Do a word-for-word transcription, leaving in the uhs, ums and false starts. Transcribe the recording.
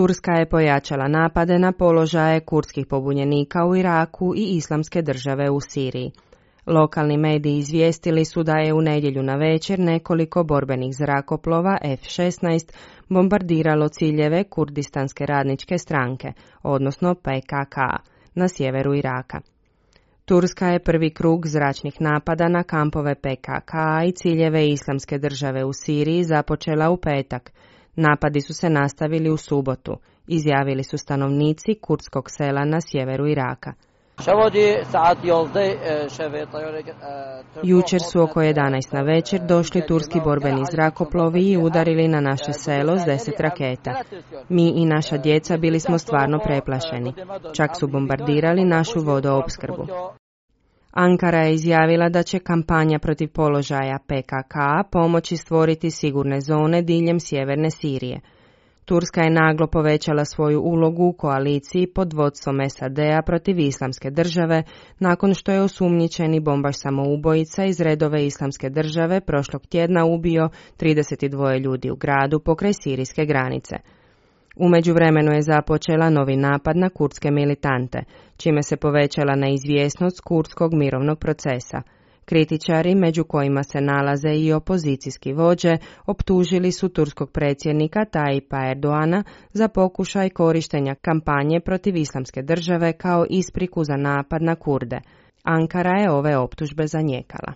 Turska je pojačala napade na položaje kurdskih pobunjenika u Iraku i Islamske države u Siriji. Lokalni mediji izvijestili su da je u nedjelju navečer nekoliko borbenih zrakoplova F šesnaest bombardiralo ciljeve Kurdistanske radničke stranke, odnosno P K K, na sjeveru Iraka. Turska je prvi krug zračnih napada na kampove P K K i ciljeve Islamske države u Siriji započela u petak. Napadi su se nastavili u subotu, izjavili su stanovnici kurdskog sela na sjeveru Iraka. Jučer su oko jedanaest na večer došli turski borbeni zrakoplovi i udarili na naše selo s deset raketa. Mi i naša djeca bili smo stvarno preplašeni. Čak su bombardirali našu vodoopskrbu. Ankara je izjavila da će kampanja protiv položaja P K K pomoći stvoriti sigurne zone diljem sjeverne Sirije. Turska je naglo povećala svoju ulogu u koaliciji pod vodstvom S A D-a protiv Islamske države nakon što je osumnjičeni bombaš samoubojica iz redove Islamske države prošlog tjedna ubio trideset dva ljudi u gradu pokraj sirijske granice. U međuvremenu je započela novi napad na kurdske militante, čime se povećala neizvjesnost kurdskog mirovnog procesa. Kritičari, među kojima se nalaze i opozicijski vođe, optužili su turskog predsjednika Tayyipa Erdoana za pokušaj korištenja kampanje protiv Islamske države kao ispriku za napad na Kurde. Ankara je ove optužbe zanijekala.